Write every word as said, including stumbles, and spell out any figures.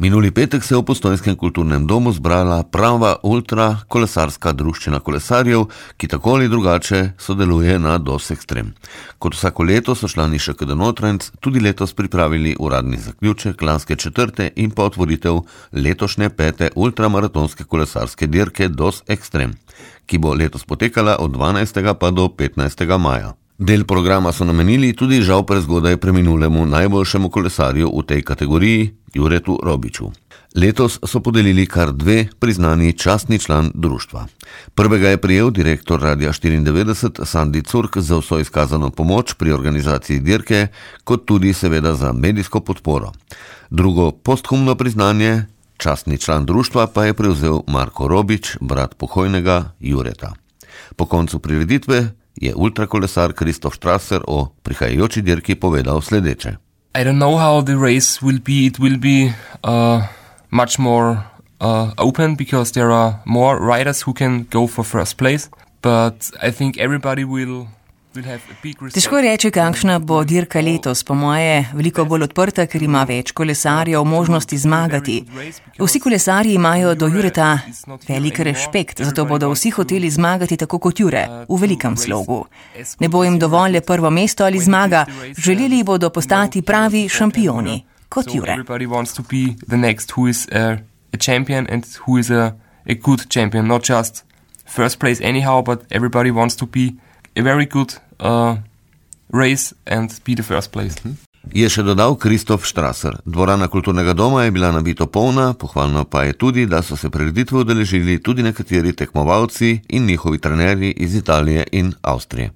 Minuli petek se je v Postojnskem kulturnem domu zbrala prava ultra kolesarska druščina kolesarjev, ki tako ali drugače sodeluje na DOS Extreme. Kot vsako leto so člani Š K D Notranjc tudi letos pripravili uradni zaključek lanske četrte in pa otvoritev letošnje pete ultramaratonske kolesarske dirke DOS Extreme, ki bo letos potekala od dvanajstega pa do petnajstega maja. Del programa so namenili tudi žal prezgodaj preminulemu najboljšemu kolesarju v tej kategoriji, Juretu Robiču. Letos so podelili kar dve priznani častni član društva. Prvega je prejel direktor Radia štiriindevetdeset Sandi Curk za vso izkazano pomoč pri organizaciji dirke, kot tudi seveda za medijsko podporo. Drugo posthumno priznanje, častni član društva, pa je prevzel Marko Robič, brat pokojnega Jureta. Po koncu prireditve je ultrakolesar Kristof Strasser o prihajajoči dirki povedal sledeče. I don't know how the race will be. It will be uh, much more uh, open because there are more riders who can go for first place. But I think everybody will... Težko reči, kakšna bo dirka letos, po moje veliko bolj odprta, ker ima več kolesarjev možnosti zmagati. Vsi kolesarji imajo do Jureta velik respekt, zato bodo vsi hoteli zmagati tako kot Jure, v velikem slogu. Ne bo jim dovolj prvo mesto ali zmaga, želeli bodo postati pravi šampioni, kot Jure. A very good uh, race and be the first place. Je še dodal Kristof Strasser. Dvorana kulturnega doma je bila nabito polna, pohvalno pa je tudi, da so se prireditve udeležili tudi nekateri tekmovalci in njihovi trenerji iz Italije in Avstrije.